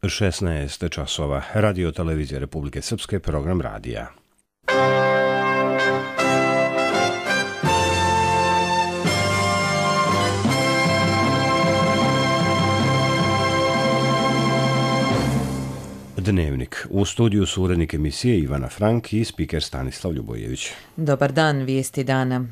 16 časova. Radio televizije Republike Srpske, program radija. Dnevnik. U studiju su urednik emisije Ivana Frank i spiker Stanislav Ljubojević. Dobar dan, vijesti dana.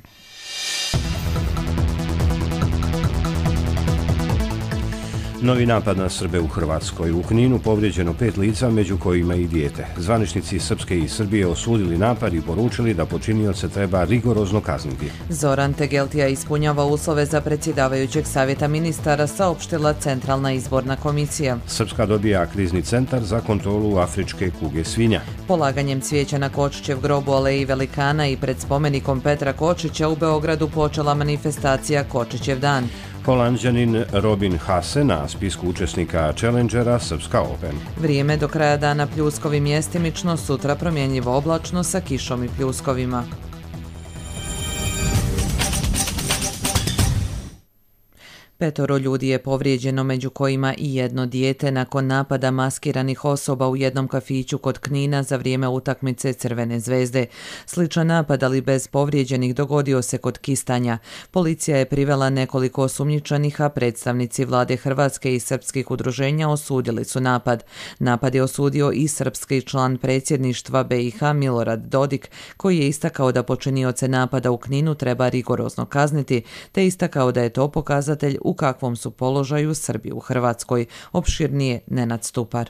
Novi napad na Srbe u Hrvatskoj. U Kninu povrijeđeno 5 lica, među kojima i dijete. Zvaničnici Srpske i Srbije osudili napad i poručili da počinioce treba rigorozno kazniti. Zoran Tegeltija ispunjava uslove za predsjedavajućeg savjeta ministara, saopštila Centralna izborna komisija. Srpska dobija krizni centar za kontrolu afričke kuge svinja. Polaganjem cvijeća na Kočićev grob u Aleji Velikana i pred spomenikom Petra Kočića u Beogradu počela manifestacija Kočićev dan. Holanđanin Robin Haase na spisku učesnika Challengera Srpska Open. Vrijeme do kraja dana pljuskovi mjestimično, sutra promjenjivo oblačno sa kišom i pljuskovima. Petoro ljudi je povrijeđeno, među kojima i jedno dijete, nakon napada maskiranih osoba u jednom kafiću kod Knina za vrijeme utakmice Crvene zvezde. Sličan napad, ali bez povrijeđenih, dogodio se kod Kistanja. Policija je privela nekoliko osumnjičenih, a predstavnici vlade Hrvatske i srpskih udruženja osudili su napad. Napad je osudio i srpski član predsjedništva BiH Milorad Dodik, koji je istakao da počinioce napada u Kninu treba rigorozno kazniti, te istakao da je to pokazatelj u kakvom su položaju Srbi u Hrvatskoj. Opširnije Nenad Stupar.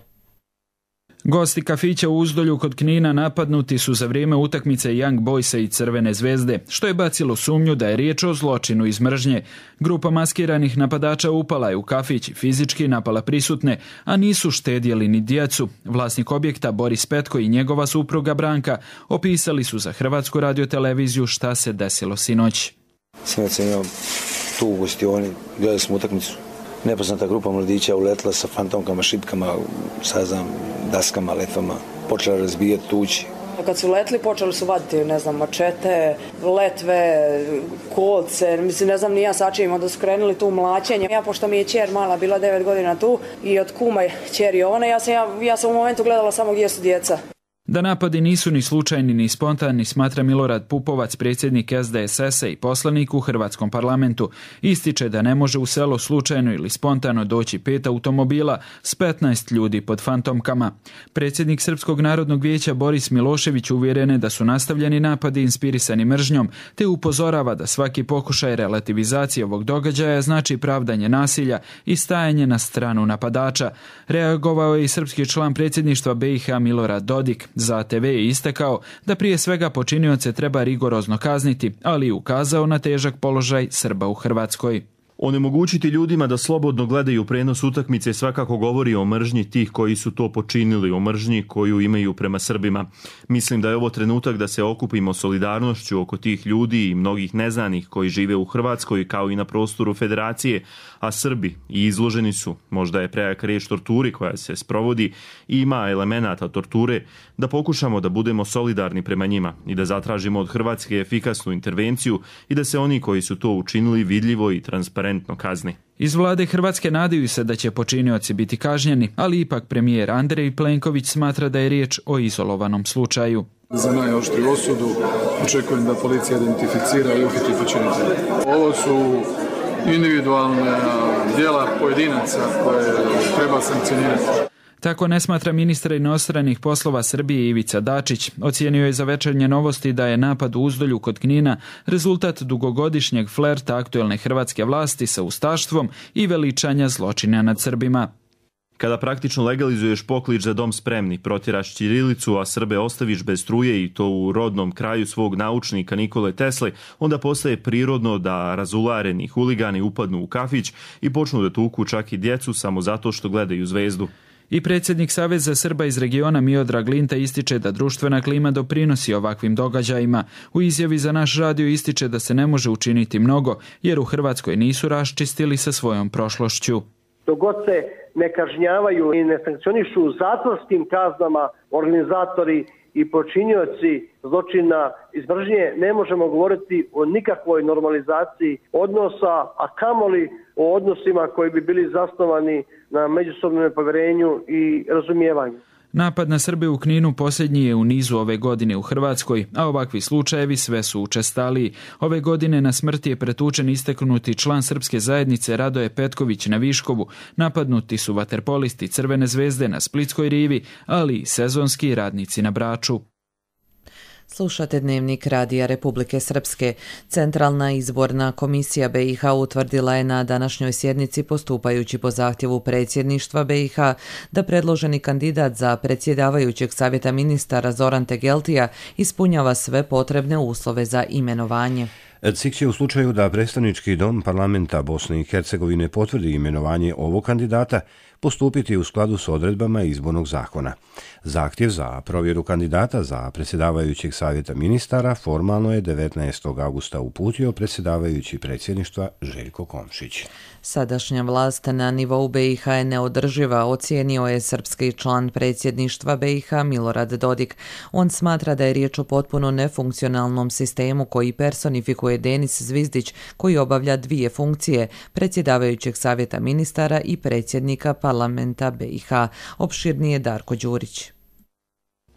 Gosti kafića u Uzdolju kod Knina napadnuti su za vrijeme utakmice Young Boysa i Crvene zvezde, što je bacilo sumnju da je riječ o zločinu iz mržnje. Grupa maskiranih napadača upala je u kafić i fizički napala prisutne, a nisu štedjeli ni djecu. Vlasnik objekta Boris Petko i njegova supruga Branka opisali su za Hrvatsku radioteleviziju šta se desilo sinoć. Sinoć sam imao tu u gostioni, gledali smo utakmicu. Nepoznata grupa mladića uletla sa fantomkama, šipkama, daskama, letvama, počela razbijati, tući. Kad su letli, počeli su vaditi, mačete, letve, kolce, ne znam ni ja sačim, onda su krenuli tu mlaćenje. Ja, pošto mi je kćer mala, bila 9 godina tu i od kuma kćer Jovane, ja sam u momentu gledala samo gdje su djeca. Da napadi nisu ni slučajni ni spontani, smatra Milorad Pupovac, predsjednik SDSS-a i poslanik u Hrvatskom parlamentu. Ističe da ne može u selo slučajno ili spontano doći 5 automobila s 15 ljudi pod fantomkama. Predsjednik Srpskog narodnog vijeća Boris Milošević uvjeren je da su nastavljeni napadi inspirisani mržnjom, te upozorava da svaki pokušaj relativizacije ovog događaja znači pravdanje nasilja i stajanje na stranu napadača. Reagovao je i srpski član predsjedništva BiH Milorad Dodik. Za TV je istakao da prije svega počinioce treba rigorozno kazniti, ali i ukazao na težak položaj Srba u Hrvatskoj. Onemogućiti ljudima da slobodno gledaju prenos utakmice svakako govori o mržnji tih koji su to počinili, o mržnji koju imaju prema Srbima. Mislim da je ovo trenutak da se okupimo solidarnošću oko tih ljudi i mnogih neznanih koji žive u Hrvatskoj kao i na prostoru Federacije, a Srbi i izloženi su, možda je prejaka riječ torturi koja se sprovodi i ima elemenata torture, da pokušamo da budemo solidarni prema njima i da zatražimo od Hrvatske efikasnu intervenciju i da se oni koji su to učinili vidljivo i transparentno kazni. Iz vlade Hrvatske nadaju se da će počinioci biti kažnjeni, ali ipak premijer Andrej Plenković smatra da je riječ o izolovanom slučaju. Za najoštriju osudu očekujem da policija identificira i uhiti počinitelje. Ovo su individualne djela pojedinaca koje treba sankcionirati. Tako ne smatra ministar inostranih poslova Srbije Ivica Dačić. Ocijenio je za Večernje novosti da je napad u Uzdolju kod Knina rezultat dugogodišnjeg flerta aktuelne hrvatske vlasti sa ustaštvom i veličanja zločina nad Srbima. Kada praktično legalizuješ poklič za dom spremni, protjeraš ćirilicu, a Srbe ostaviš bez struje i to u rodnom kraju svog naučnika Nikole Tesle, onda postaje prirodno da razulareni huligani upadnu u kafić i počnu da tuku čak i djecu samo zato što gledaju zvezdu. I predsjednik Saveza Srba iz regiona Miodrag Linta ističe da društvena klima doprinosi ovakvim događajima. U izjavi za naš radio ističe da se ne može učiniti mnogo, jer u Hrvatskoj nisu raščistili sa svojom prošlošću. Dok god se ne kažnjavaju i ne sankcionišu zatvorskim kaznama organizatori i počinioci zločina iz mržnje, ne možemo govoriti o nikakvoj normalizaciji odnosa, a kamoli o odnosima koji bi bili zasnovani na međusobnom povjerenju i razumijevanju. Napad na Srbe u Kninu posljednji je u nizu ove godine u Hrvatskoj, a ovakvi slučajevi sve su učestaliji. Ove godine na smrt je pretučen istaknuti član srpske zajednice Radoje Petković na Viškovu. Napadnuti su vaterpolisti Crvene zvezde na Splitskoj rivi, ali i sezonski radnici na Braču. Slušate Dnevnik Radija Republike Srpske. Centralna izborna komisija BiH utvrdila je na današnjoj sjednici, postupajući po zahtjevu predsjedništva BiH, da predloženi kandidat za predsjedavajućeg savjeta ministara Zoran Tegeltija ispunjava sve potrebne uslove za imenovanje. CIK će u slučaju da predstavnički dom parlamenta Bosne i Hercegovine potvrdi imenovanje ovog kandidata postupiti u skladu s odredbama izbornog zakona. Zahtjev za provjeru kandidata za predsjedavajućeg savjeta ministara formalno je 19. augusta uputio predsjedavajući predsjedništva Željko Komšić. Sadašnja vlast na nivou BiH je neodrživa, ocijenio je srpski član predsjedništva BiH Milorad Dodik. On smatra da je riječ o potpuno nefunkcionalnom sistemu koji personifikuje Denis Zvizdić, koji obavlja dvije funkcije, predsjedavajućeg savjeta ministara i predsjednika parlamenta BiH. Opširnije Darko Đurić.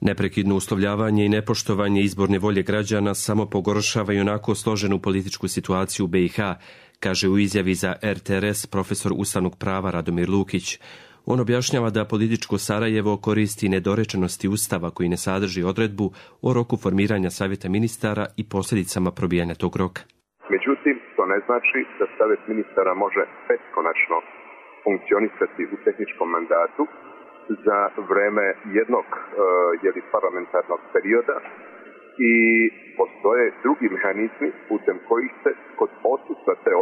Neprekidno uslovljavanje i nepoštovanje izborne volje građana samo pogoršava i onako složenu političku situaciju u BiH, kaže u izjavi za RTRS profesor ustavnog prava Radomir Lukić. On objašnjava da političko Sarajevo koristi nedorečenosti ustava koji ne sadrži odredbu o roku formiranja savjeta ministara i posljedicama probijanja tog roka. Međutim, to ne znači da savjet ministara može beskonačno funkcionisati u tehničkom mandatu za vreme jednog parlamentarnog perioda i postoje drugi mehanizmi putem kojih se kod odsustva te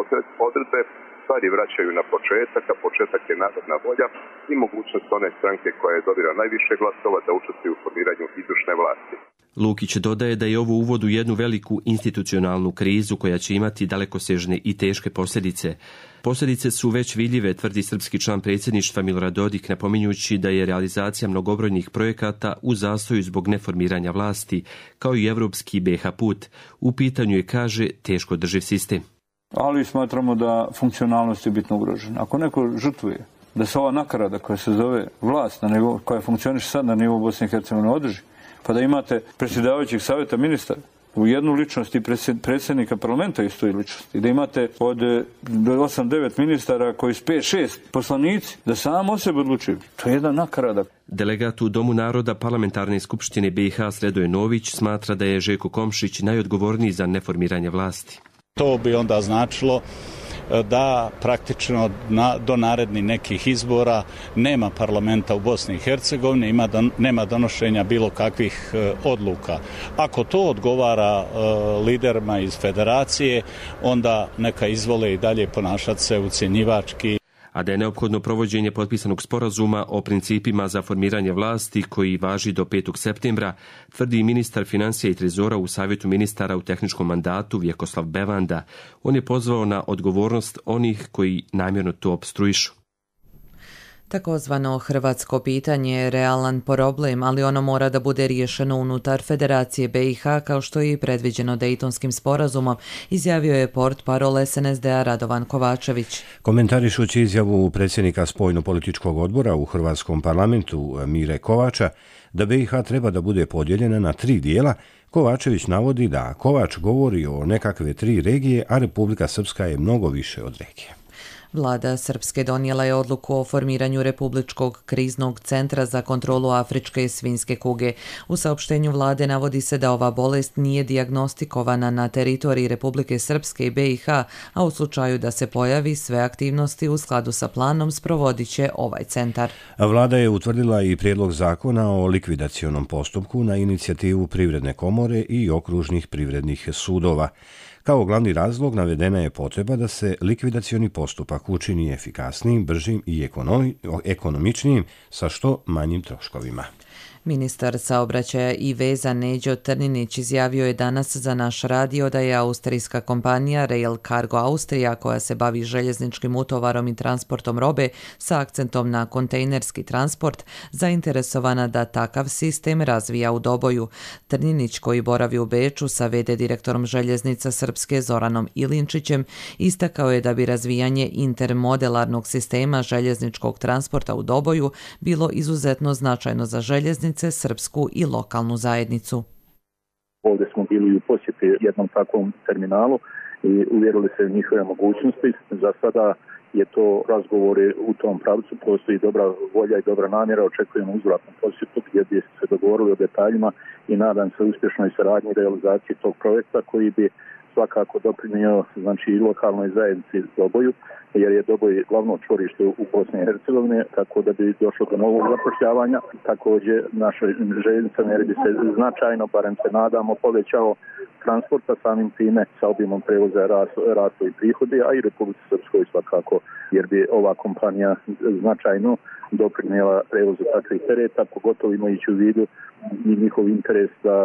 odredbe stvari vraćaju na početak, a početak je narodna volja i mogućnost one stranke koja je dobila najviše glasova da učestvuje u formiranju izvršne vlasti. Lukić dodaje da je ovo uvod u jednu veliku institucionalnu krizu koja će imati dalekosežne i teške posljedice. Posljedice su već vidljive, tvrdi srpski član predsjedništva Milorad Dodik, napominjući da je realizacija mnogobrojnih projekata u zastoju zbog neformiranja vlasti, kao i evropski BiH put. U pitanju je, kaže, teško drživ sistem. Ali smatramo da funkcionalnost je bitno ugrožena. Ako neko žrtvuje da se ova nakarada koja se zove vlast, koja funkcioniše sad na nivou Bosne i Hercegovine održi, pa da imate predsjedavajućeg savjeta ministara u jednu ličnost i predsjednika parlamenta istoj ličnosti, da imate od 8-9 ministara koji su 5-6 poslanici, da sam o sebi odlučuju. To je jedna nakarada. Delegat u Domu naroda Parlamentarne skupštine BiH Sredoje Nović smatra da je Željko Komšić najodgovorniji za neformiranje vlasti. To bi onda značilo da praktično do narednih nekih izbora nema parlamenta u Bosni i Hercegovini, nema donošenja bilo kakvih odluka. Ako to odgovara liderima iz federacije, onda neka izvole i dalje ponašati se ucjenjivački. A da je neophodno provođenje potpisanog sporazuma o principima za formiranje vlasti koji važi do 5. septembra, tvrdi ministar financija i trezora u Savjetu ministara u tehničkom mandatu Vjekoslav Bevanda. On je pozvao na odgovornost onih koji namjerno to opstruišu. Takozvano hrvatsko pitanje je realan problem, ali ono mora da bude riješeno unutar Federacije BiH, kao što je i predviđeno Dejtonskim sporazumom, izjavio je portparol SNSD-a Radovan Kovačević. Komentarišući izjavu predsjednika spoljno-političkog odbora u Hrvatskom parlamentu Mire Kovača da BiH treba da bude podijeljena na 3 dijela, Kovačević navodi da Kovač govori o nekakve 3 regije, a Republika Srpska je mnogo više od regije. Vlada Srpske donijela je odluku o formiranju Republičkog kriznog centra za kontrolu afričke svinjske kuge. U saopštenju vlade navodi se da ova bolest nije dijagnostikovana na teritoriji Republike Srpske i BiH, a u slučaju da se pojavi, sve aktivnosti u skladu sa planom sprovodit će ovaj centar. Vlada je utvrdila i prijedlog zakona o likvidacionom postupku na inicijativu Privredne komore i okružnih privrednih sudova. Kao glavni razlog navedena je potreba da se likvidacioni postupak učini efikasnijim, bržim i ekonomičnijim sa što manjim troškovima. Ministar saobraćaja i veza Neđo Trninić izjavio je danas za naš radio da je austrijska kompanija Rail Cargo Austrija, koja se bavi željezničkim utovarom i transportom robe sa akcentom na kontejnerski transport, zainteresovana da takav sistem razvija u Doboju. Trninić, koji boravi u Beču sa v.d. direktorom željeznica Srpske Zoranom Ilinčićem, istakao je da bi razvijanje intermodelarnog sistema željezničkog transporta u Doboju bilo izuzetno značajno za željeznice, srpsku i lokalnu zajednicu. Ovdje smo bili u posjeti jednom takvom terminalu i uvjerili se u njihove mogućnosti. Za sada je to razgovori u tom pravcu, postoji dobra volja i dobra namjera, očekujemo uzvratnu posjetu gdje bi se dogovorili o detaljima i nadam se uspješnoj saradnji i realizaciji tog projekta koji bi svakako doprinio znači i lokalnoj zajednici Doboju, jer je Doboj glavno čvorište u Bosni i Hercegovini, tako da bi došlo do novog zapošljavanja. Također naša željeznica jer bi se značajno, barem se nadamo, povećao transporta, samim time sa obimom prevoza rastu i prihodi, a i Republici Srpskoj svakako, jer bi ova kompanija značajno doprinijela prevozu takvih tereta, pogotovo imajući u vidu i njihov interes da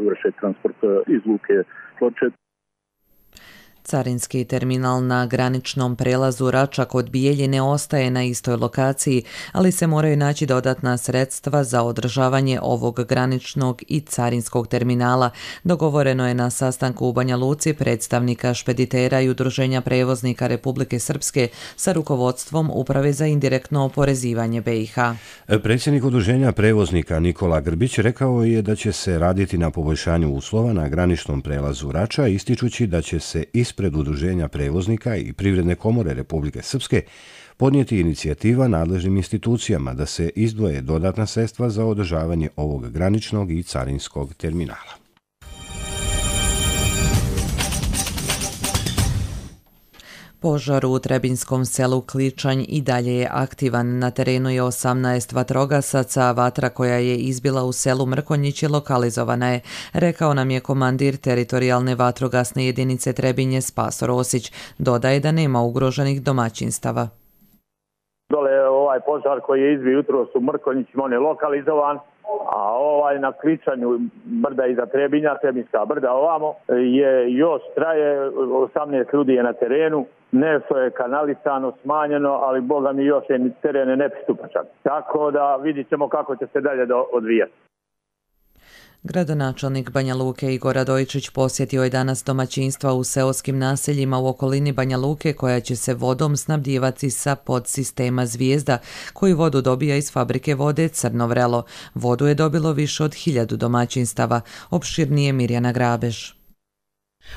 vrše transport iz luke Ploče. Carinski terminal na graničnom prelazu Rača kod Bijeljine ostaje na istoj lokaciji, ali se moraju naći dodatna sredstva za održavanje ovog graničnog i carinskog terminala. Dogovoreno je na sastanku u Banja Luci predstavnika špeditera i Udruženja prevoznika Republike Srpske sa rukovodstvom Uprave za indirektno oporezivanje BiH. Predsjednik Udruženja prevoznika Nikola Grbić rekao je da će se raditi na poboljšanju uslova na graničnom prelazu Rača, ističući da će se ispred Udruženja prevoznika i Privredne komore Republike Srpske podnijeti inicijativa nadležnim institucijama da se izdvoje dodatna sredstva za održavanje ovog graničnog i carinskog terminala. Požar u Trebinskom selu Kličanj i dalje je aktivan. Na terenu je 18 vatrogasaca, vatra koja je izbila u selu Mrkonjić lokalizovana je, rekao nam je komandir teritorijalne vatrogasne jedinice Trebinje Spaso Rosić. Dodaje da nema ugroženih domaćinstava. Dole ovaj požar koji je izbio jutros u Mrkonjićima, on je lokalizovan, a ovaj na Kličanju brda iza Trebinja, Trebinska brda ovamo, je još traje, 18 ljudi je na terenu. Nešto je kanalisano, smanjeno, ali boga mi još je teren nepristupačan. Tako da vidit ćemo kako će se dalje odvijati. Gradonačelnik Banja Luke Igor Radojčić posjetio je danas domaćinstva u seoskim naseljima u okolini Banja Luke koja će se vodom snabdijevati sa podsistema Zvijezda, koji vodu dobija iz fabrike vode Crno Vrelo. Vodu je dobilo više od 1000 domaćinstava. Opširnije Mirjana Grabež.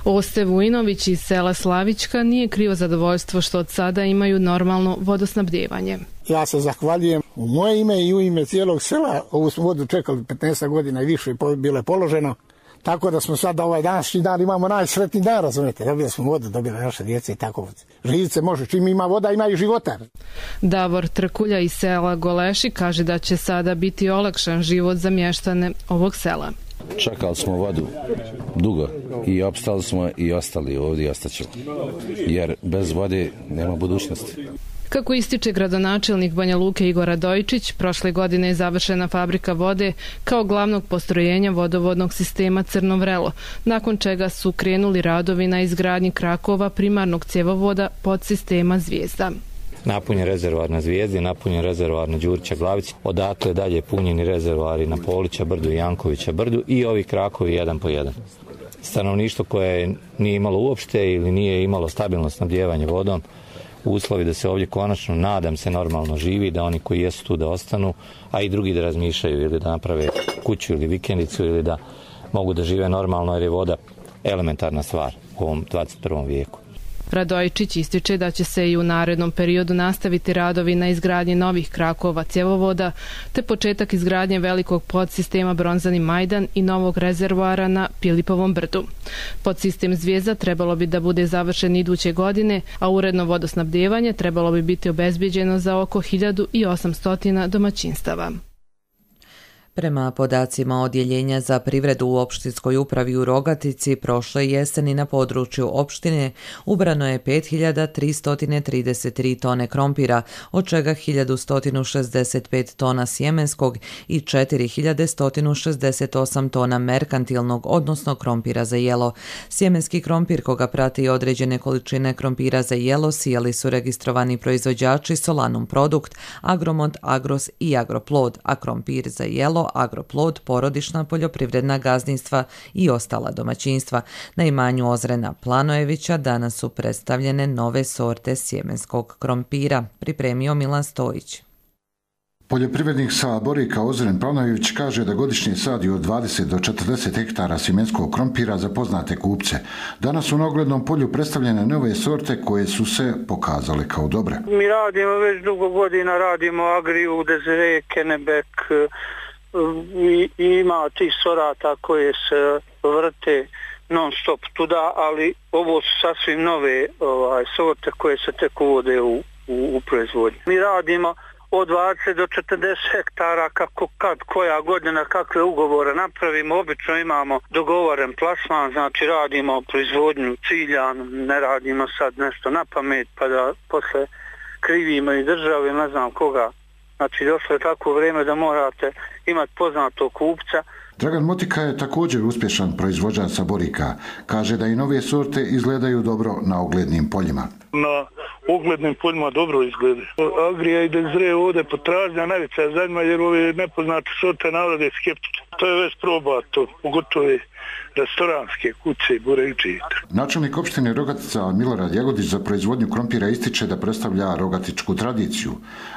Oste Vujinović iz sela Slavička nije krivo zadovoljstvo što od sada imaju normalno vodosnabdijevanje. Ja se zahvaljujem u moje ime i u ime cijelog sela. Ovu smo vodu čekali 15 godina i više bilo je položeno. Tako da smo sad ovaj današnji dan imamo najsretniji dan, razumijete. Dobili smo vodu, dobili naše djece i tako. Živit se može, čim ima voda ima i života. Davor Trkulja iz sela Goleši kaže da će sada biti olakšan život za mještane ovog sela. Čekali smo vodu dugo i opstali smo i ostali ovdje i ostaćemo. Jer bez vode nema budućnosti. Kako ističe gradonačelnik Banja Luke Igor Radojčić, prošle godine je završena fabrika vode kao glavnog postrojenja vodovodnog sistema Crno Vrelo, nakon čega su krenuli radovi na izgradnji krakova primarnog cjevovoda podsistema Zvijezda. Napunjen rezervoar na Zvijezdi, napunjen rezervoar na Đurića Glavici, odatle dalje punjeni rezervoari na Polića brdu i Jankovića brdu i ovi krakovi jedan po jedan. Stanovništvo koje nije imalo uopšte ili nije imalo stabilno snabdijevanje vodom, uslovi da se ovdje konačno, nadam se, normalno živi, da oni koji jesu tu da ostanu, a i drugi da razmišljaju ili da naprave kuću ili vikendicu ili da mogu da žive normalno jer je voda elementarna stvar u ovom 21. vijeku. Radojčić ističe da će se i u narednom periodu nastaviti radovi na izgradnji novih krakova cjevovoda, te početak izgradnje velikog podsistema Bronzani Majdan i novog rezervoara na Pilipovom brdu. Podsistem Zvijezda trebalo bi da bude završen iduće godine, a uredno vodosnabdijevanje trebalo bi biti obezbijeđeno za oko 1800 domaćinstava. Prema podacima Odjeljenja za privredu u opštinskoj upravi u Rogatici, prošle jeseni na području opštine ubrano je 5333 tone krompira, od čega 1165 tona sjemenskog i 4168 tona merkantilnog, odnosno krompira za jelo. Sjemenski krompir, koga prati određene količine krompira za jelo, sijali su registrovani proizvođači Solanum Produkt, Agromont, Agros i Agroplod, a krompir za jelo Agroplod, porodična poljoprivredna gazdinstva i ostala domaćinstva. Na imanju Ozrena Planojevića danas su predstavljene nove sorte sjemenskog krompira, pripremio Milan Stojić. Poljoprivrednik sa Borika Ozren Planojević kaže da godišnje sadi od 20 do 40 hektara sjemenskog krompira za poznate kupce. Danas su na oglednom polju predstavljene nove sorte koje su se pokazale kao dobre. Mi radimo već dugo godina, radimo Agriju, Desire, Kenebek, ima tih sorata koje se vrte non stop tuda, ali ovo su sasvim nove sorte koje se tek uvode u proizvodnju. Mi radimo od 20 do 40 hektara, kako kad koja godina, kakve ugovore napravimo. Obično imamo dogovoren plasman, znači radimo proizvodnju ciljanu, ne radimo sad nešto na pamet pa da posle krivimo i državi, ne znam koga. Znači došlo je tako vrijeme da morate imati poznatog kupca. Dragan Motika je također uspješan proizvođač sa Borika. Kaže da i nove sorte izgledaju dobro na oglednim poljima. Na oglednim poljima dobro izgleda. Agrija i Desire ovdje potražnja najveća zadnja jer ove nepoznate sorte narode skeptične. To je već probato, pogotovo restoranske kuće i buređije. Načelnik opštine Rogatica Milorad Jagodić za proizvodnju krompira ističe da predstavlja rogatičku tradiciju.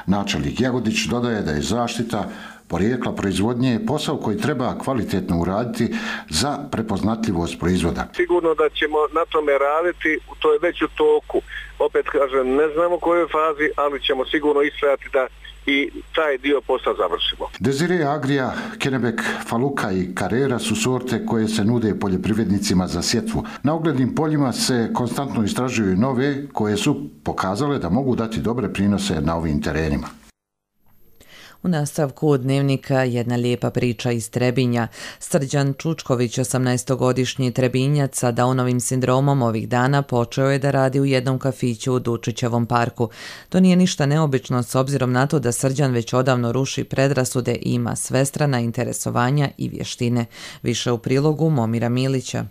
Načelnik Jagodić dodaje da je zaštita porijekla proizvodnje je posao koji treba kvalitetno uraditi za prepoznatljivost proizvoda. Sigurno da ćemo na tome raditi, to je već u toku. Opet kažem, ne znamo u kojoj fazi, ali ćemo sigurno istrajati da i taj dio posla završimo. Desire, Agrija, Kenebek, Faluka i Carrera su sorte koje se nude poljoprivrednicima za sjetvu. Na oglednim poljima se konstantno istražuju nove koje su pokazale da mogu dati dobre prinose na ovim terenima. U nastavku dnevnika jedna lijepa priča iz Trebinja. Srđan Čučković, 18-godišnji Trebinjac sa Downovim sindromom, ovih dana počeo je da radi u jednom kafiću u Dučićevom parku. To nije ništa neobično s obzirom na to da Srđan već odavno ruši predrasude i ima svestrana interesovanja i vještine. Više u prilogu Momira Milića.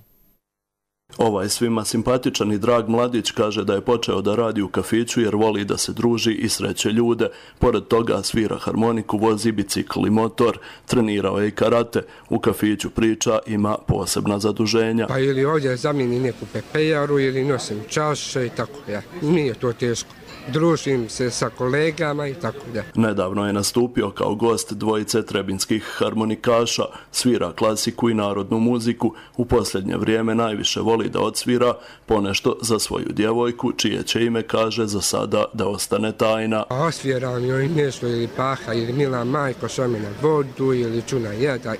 Ovaj svima simpatičan i drag mladić kaže da je počeo da radi u kafiću jer voli da se druži i sreće ljude. Pored toga svira harmoniku, vozi bicikl i motor, trenirao je i karate. U kafiću priča ima posebna zaduženja. Pa ili ovdje zamijeni neku pepejaru ili nosim čaše i tako. Nije to teško. Družim se sa kolegama i tako da. Nedavno je nastupio kao gost dvojice trebinskih harmonikaša, svira klasiku i narodnu muziku. U posljednje vrijeme najviše voli da odsvira ponešto za svoju djevojku, čije će ime kaže za sada da ostane tajna. Osviram joj nešto ili Paha ili Mila Majko šome na vodu ili Čuna jeda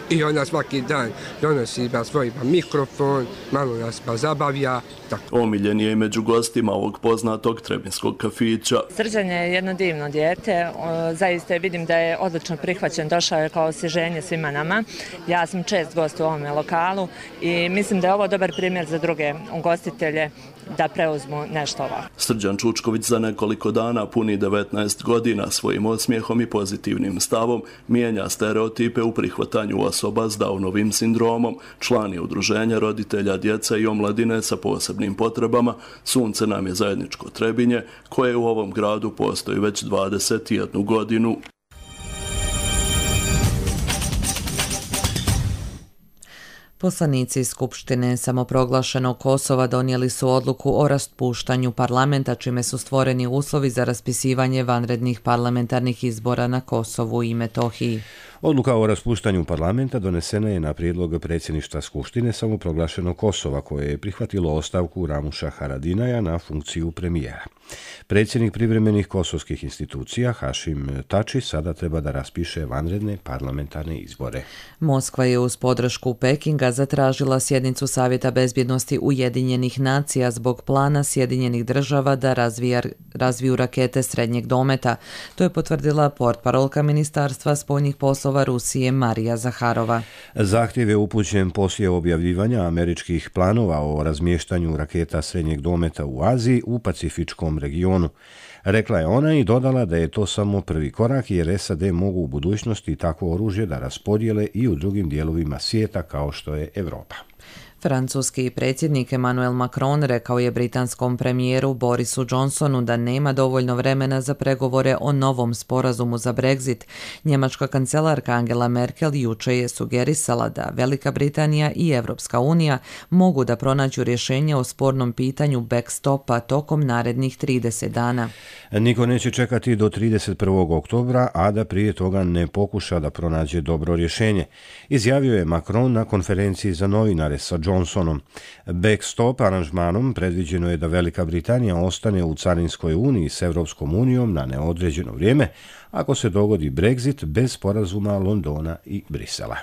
i ona svaki dan donosi svoj mikrofon, malo nas zabavlja. Tako. Omiljen je i među gostima ovog poznatog trebinskog kafića. Srđan je jedno divno dijete, zaista vidim da je odlično prihvaćen, došao je kao osvježenje svima nama. Ja sam čest gost u ovome lokalu i mislim da je ovo dobar primjer za druge ugostitelje da preuzmu nešto ovako. Srđan Čučković za nekoliko dana puni 19 godina, svojim osmijehom i pozitivnim stavom mijenja stereotipe u prihvatanju osoba s Downovim sindromom. Član je udruženja roditelja djece i omladine sa posebnim potrebama Sunce nam je zajedničko Trebinje, koje u ovom gradu postoji već 21 godinu. Poslanici Skupštine samoproglašenog Kosova donijeli su odluku o raspuštanju parlamenta, čime su stvoreni uslovi za raspisivanje vanrednih parlamentarnih izbora na Kosovu i Metohiji. Odluka o raspuštanju parlamenta donesena je na prijedlog predsjedništva Skupštine samoproglašenog Kosova, koje je prihvatilo ostavku Ramuša Haradinaja na funkciju premijera. Predsjednik privremenih kosovskih institucija Hašim Tači sada treba da raspiše vanredne parlamentarne izbore. Moskva je uz podršku Pekinga zatražila sjednicu Savjeta bezbjednosti Ujedinjenih nacija zbog plana Sjedinjenih država da razviju rakete srednjeg dometa. To je potvrdila portparolka Ministarstva spoljnih poslova Rusije Marija Zaharova. Zahtjev je upućen poslije objavljivanja američkih planova o razmještanju raketa srednjeg dometa u Aziji u Pacifičkom regionu. Rekla je ona i dodala da je to samo prvi korak jer SAD mogu u budućnosti takvo oružje da raspodijele i u drugim dijelovima svijeta kao što je Europa. Francuski predsjednik Emmanuel Macron rekao je britanskom premijeru Borisu Johnsonu da nema dovoljno vremena za pregovore o novom sporazumu za Brexit. Njemačka kancelarka Angela Merkel jučer je sugerisala da Velika Britanija i Evropska unija mogu da pronađu rješenje o spornom pitanju backstopa tokom narednih 30 dana. Niko neće čekati do 31. oktobra, a da prije toga ne pokuša da pronađe dobro rješenje, izjavio je Macron na konferenciji za novinare sa Johnsonom. Backstop aranžmanom predviđeno je da Velika Britanija ostane u carinskoj uniji s Evropskom unijom na neodređeno vrijeme ako se dogodi Brexit bez sporazuma Londona i Brisela.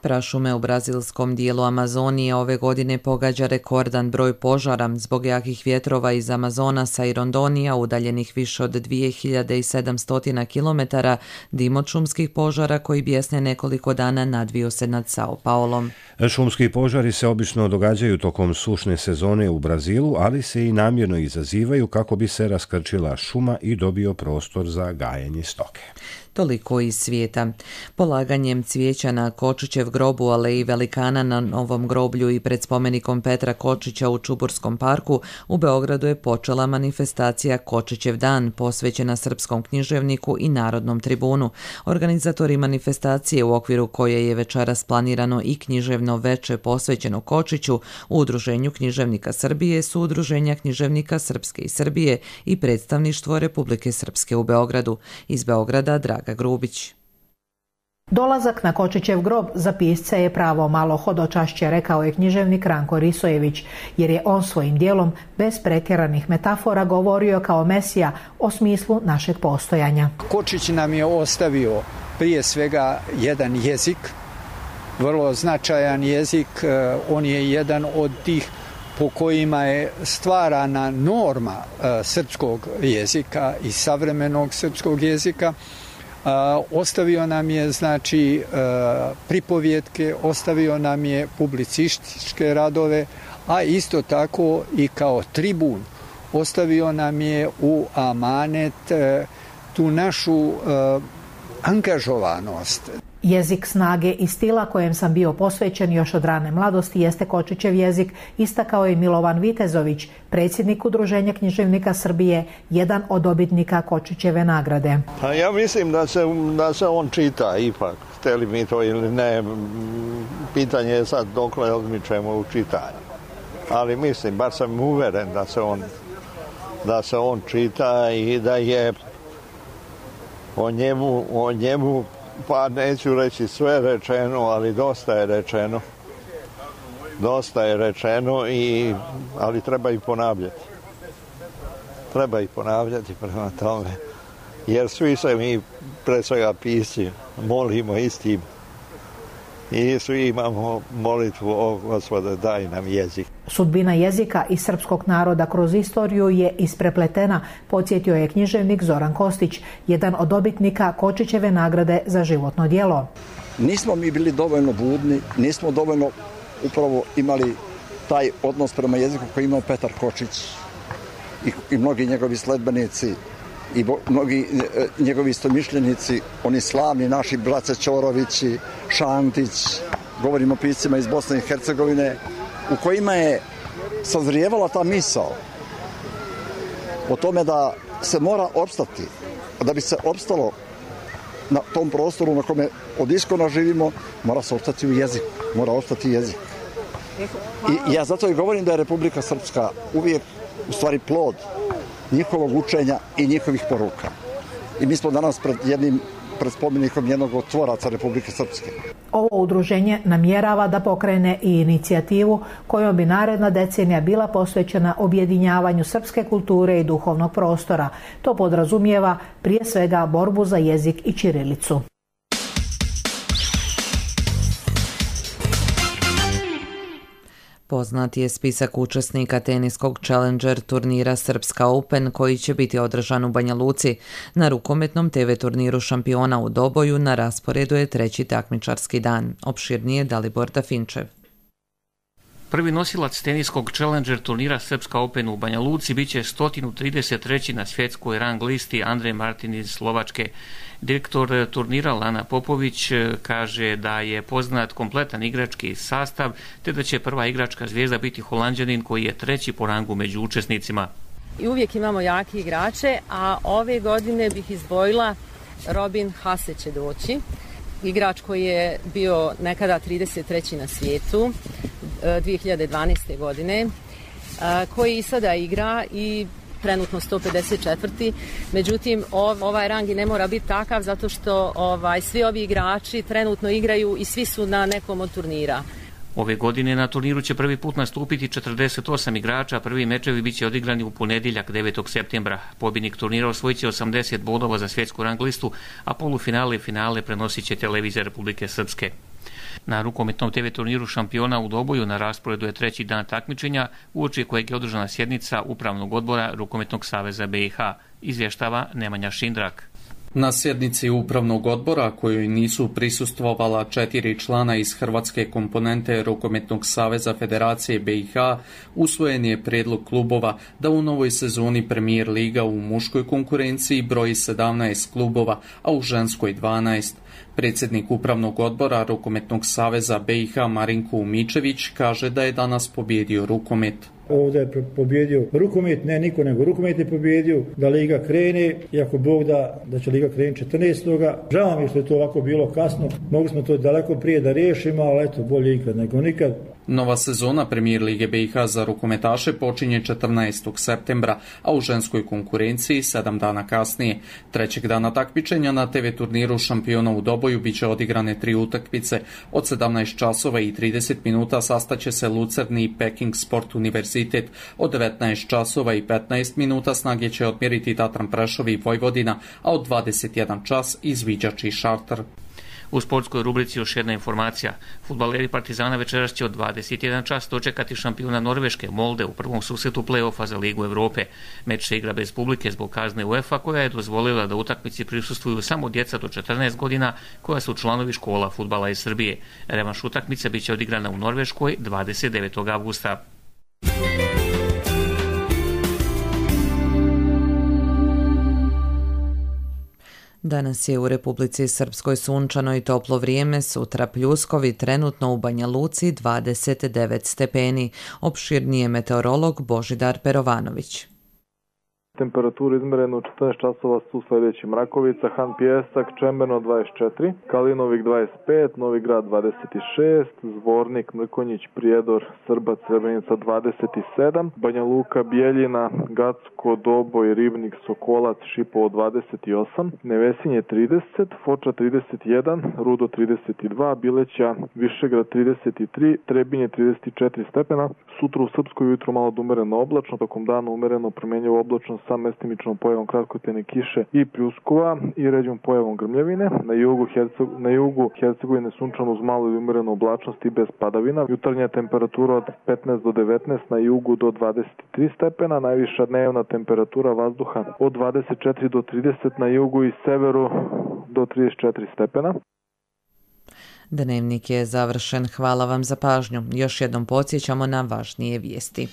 Prašume u brazilskom dijelu Amazonije ove godine pogađa rekordan broj požara zbog jakih vjetrova iz Amazonasa i Rondonija udaljenih više od 2700 km. Dim od šumskih požara koji bjesne nekoliko dana nadvio se nad Sao Paulom. Šumski požari se obično događaju tokom sušne sezone u Brazilu, ali se i namjerno izazivaju kako bi se raskrčila šuma i dobio prostor za gajenje stoke. Toliko iz svijeta. Polaganjem cvijeća na Kočićev grob u Aleji Velikana na Novom groblju i pred spomenikom Petra Kočića u Čuburskom parku u Beogradu je počela manifestacija Kočićev dan posvećena srpskom književniku i Narodnom tribunu. Organizatori manifestacije u okviru koje je večeras planirano i književno veče posvećeno Kočiću u Udruženju književnika Srbije su Udruženja književnika Srpske i Srbije i Predstavništvo Republike Srpske u Beogradu. Iz Beograda Draga Grubić. Dolazak na Kočićev grob za pisca je pravo malo hodočašće, rekao je književnik Ranko Risojević, jer je on svojim dijelom bez pretjeranih metafora govorio kao mesija o smislu našeg postojanja. Kočić nam je ostavio prije svega jedan jezik, vrlo značajan jezik, on je jedan od tih po kojima je stvarana norma srpskog jezika i savremenog srpskog jezika. Ostavio nam je znači pripovjetke, ostavio nam je publicističke radove, a isto tako i kao tribun ostavio nam je u amanet tu našu angažovanost. Jezik snage i stila kojem sam bio posvećen još od rane mladosti jeste Kočićev jezik, istakao je Milovan Vitezović, predsjednik Udruženja književnika Srbije, jedan od dobitnika Kočićeve nagrade. Pa ja mislim da se on čita ipak, hteli mi to ili ne, pitanje je sad dokle odmičemo u čitanju. Ali mislim, bar sam uveren da se on čita i da je o njemu pa neću reći sve rečeno, ali dosta je rečeno. Ali treba i ponavljati. Treba i ponavljati prema tome. Jer svi se mi, pre svega pisci, molimo istim. I svi imamo molitvu o Gospode, daj nam jezik. Sudbina jezika i srpskog naroda kroz istoriju je isprepletena, podsjetio je književnik Zoran Kostić, jedan od dobitnika Kočićeve nagrade za životno djelo. Nismo mi bili dovoljno budni, nismo dovoljno upravo imali taj odnos prema jeziku koji imao Petar Kočić i mnogi njegovi sledbenici i mnogi njegovi istomišljenici, oni slavni naši Brace Ćorovići, Šantić, govorimo o piscima iz Bosne i Hercegovine, u kojima je sazrijevala ta misao o tome da se mora opstati, da bi se opstalo na tom prostoru na kome od iskona živimo, mora se opstati u jeziku, mora opstati jezik. I ja zato i govorim da je Republika Srpska uvijek u stvari plod njihovog učenja i njihovih poruka. I mi smo danas pred spomenikom jednog od tvoraca Republike Srpske. Ovo udruženje namjerava da pokrene i inicijativu kojom bi naredna decenija bila posvećena objedinjavanju srpske kulture i duhovnog prostora. To podrazumijeva prije svega borbu za jezik i ćirilicu. Poznat je spisak učesnika teniskog Challenger turnira Srpska Open koji će biti održan u Banja Luci. Na rukometnom TV turniru šampiona u Doboju na rasporedu je treći takmičarski dan. Opširnije Dalibor Dafinčev. Prvi nosilac teniskog Challenger turnira Srpska Open u Banja Luci biće 133. na svjetskoj rang listi Andrej Martin iz Slovačke. Direktor turnira Lana Popović kaže da je poznat kompletan igrački sastav, te da će prva igračka zvijezda biti Holanđanin koji je treći po rangu među učesnicima. I uvijek imamo jake igrače, a ove godine bih izdvojila Robin Haase će doći. Igrač koji je bio nekada 33. na svijetu 2012. godine, koji i sada igra i trenutno 154. Međutim, ovaj rang i ne mora biti takav zato što svi ovi igrači trenutno igraju i svi su na nekom od turnira. Ove godine na turniru će prvi put nastupiti 48 igrača, prvi mečevi biće odigrani u ponedjeljak 9. septembra. Pobjednik turnira osvojit će 80 bodova za svjetsku rang listu, a polufinale i finale prenosit će televizija Republike Srpske. Na rukometnom TV turniru šampiona u Doboju na rasporedu je treći dan takmičenja, uoči kojeg je održana sjednica Upravnog odbora Rukometnog saveza BiH, izvještava Nemanja Šindrak. Na sjednici Upravnog odbora, kojoj nisu prisustvovala 4 člana iz hrvatske komponente Rukometnog saveza Federacije BiH, usvojen je prijedlog klubova da u novoj sezoni Premier liga u muškoj konkurenciji broji 17 klubova, a u ženskoj 12. Predsjednik Upravnog odbora Rukometnog saveza BiH Marinko Umičević kaže da je danas pobjedio rukomet. Ovdje je pobjedio rukomet, ne niko nego rukomet je pobjedio, da liga krene, iako Bog da će liga krenuti 14. Žao mi je što je to ovako bilo kasno, mogli smo to daleko prije da riješimo, ali eto, bolje ikad nego nikad. Nova sezona Premier lige BiH za rukometaše počinje 14. septembra, a u ženskoj konkurenciji 7 dana kasnije. Trećeg dana takmičenja na TV turniru šampiona u Doboju biće odigrane 3 utakmice. Od 17 časova i 30 minuta sastaće se Lucerni i Peking Sport Univerzitet. Od 19 časova i 15 minuta snage će odmjeriti Tatran Prešov i Vojvodina, a od 21 čas Izviđač i Šarter. U sportskoj rubrici još jedna informacija. Fudbaleri Partizana večeras će od 21 čas dočekati šampiona Norveške Molde u prvom susretu play-offa za Ligu Europe. Meč se igra bez publike zbog kazne UEFA koja je dozvolila da utakmici prisustvuju samo djeca do 14 godina koja su članovi škola fudbala iz Srbije. Revanš utakmice biće odigrana u Norveškoj 29. avgusta. Danas je u Republici Srpskoj sunčano i toplo vrijeme, sutra pljuskovi, trenutno u Banja Luci 29 stepeni. Opširnije meteorolog Božidar Perovanović. Temperaturu izmerenu u 14 časova su sljedeći: Mrakovica, Han Pijesak, Čemberno 24, Kalinovik 25, Novi Grad 26, Zvornik, Mrkonjić, Prijedor, Srbac, Srebrenica 27, Banja Luka, Bijeljina, Gacko, Doboj, Ribnik, Sokolac, Šipovo 28, Nevesinje 30, Foča 31, Rudo 32, Bileća, Višegrad 33, Trebinje 34 stepena. Sutra u Srpskoj ujutro malo umereno oblačno, tokom dana umereno promjenjivo oblačno sa mestimičnom pojavom kratkotene kiše i pljuskova i ređom pojavom grmljevine. Na jugu Hercegovine sunčano uz malo i umerenu oblačnost i bez padavina. Jutarnja temperatura od 15 do 19, na jugu do 23 stepena, najviša dnevna temperatura vazduha od 24 do 30, na jugu i severu do 34 stepena. Dnevnik je završen. Hvala vam za pažnju. Još jednom podsjećamo na važnije vijesti.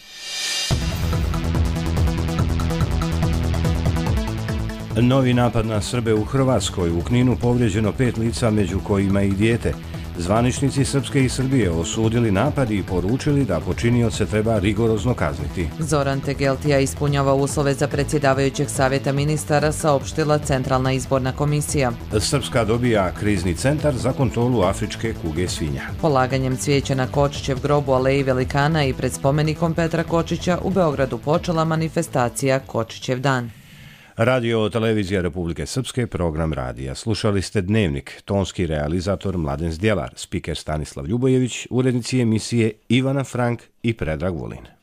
Novi napad na Srbe u Hrvatskoj. U Kninu povrijeđeno 5 lica, među kojima i dijete. Zvaničnici Srpske i Srbije osudili napad i poručili da počinioce treba rigorozno kazniti. Zoran Tegeltija ispunjava uslove za predsjedavajućeg savjeta ministara, saopštila Centralna izborna komisija. Srpska dobija krizni centar za kontrolu afričke kuge svinja. Polaganjem cvijeća na Kočićev grob u Aleji Velikana i pred spomenikom Petra Kočića u Beogradu počela manifestacija Kočićev dan. Radio televizija Republike Srpske, program radija. Slušali ste Dnevnik, tonski realizator Mladen Zdjelar, spiker Stanislav Ljubojević, urednici emisije Ivana Frank i Predrag Vulin.